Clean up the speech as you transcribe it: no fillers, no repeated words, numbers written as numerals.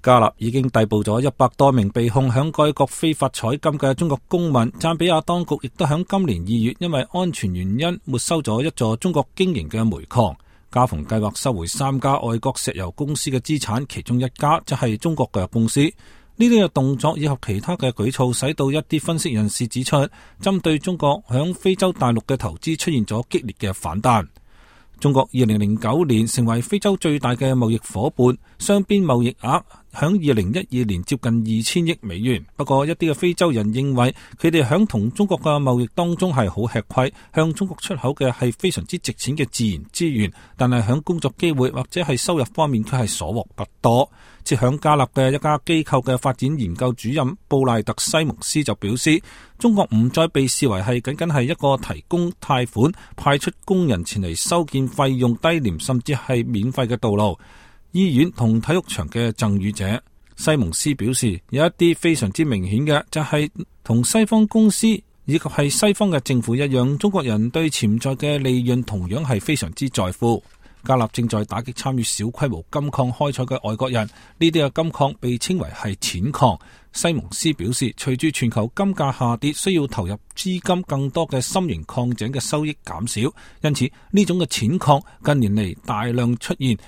加納已經逮捕咗100多名被控響該國非法採金嘅中國公民。贊比亞當局亦都響今年2月因為安全原因沒收咗一座中國經營嘅煤礦。加蓬計劃收回3家外國石油公司嘅資產，其中一家就係中國嘅公司。呢啲嘅動作以及其他嘅舉措，使到一啲分析人士指出，針對中國響非洲大陸嘅投資出現咗激烈嘅反彈。中國2009年成為非洲最大嘅貿易夥伴，雙邊貿易額響2012年接近2000億美元。不過一啲嘅非洲人認為，佢哋響同中國嘅貿易當中係好吃虧，向中國出口嘅係非常之值錢嘅自然資源，但係響工作機會或者係收入方面，佢係所獲不多。即響加納嘅一家機構嘅發展研究主任布賴特西蒙斯就表示，中國唔再被視為係僅僅係一個提供貸款、派出工人前嚟修建費用低廉甚至係免費嘅道路、醫院同體育場嘅贈與者。西蒙斯表示，有一啲非常之明顯嘅就係同西方公司以及係西方嘅政府一樣，中國人對潛在嘅利潤同樣係非常之在乎。加納正在打擊參與小規模金礦開採嘅外國人，呢啲嘅金礦被稱為係淺礦。西蒙斯表示，隨住全球金價下跌，需要投入資金更多嘅深型礦井嘅收益減少，因此呢種嘅淺礦近年嚟大量出現，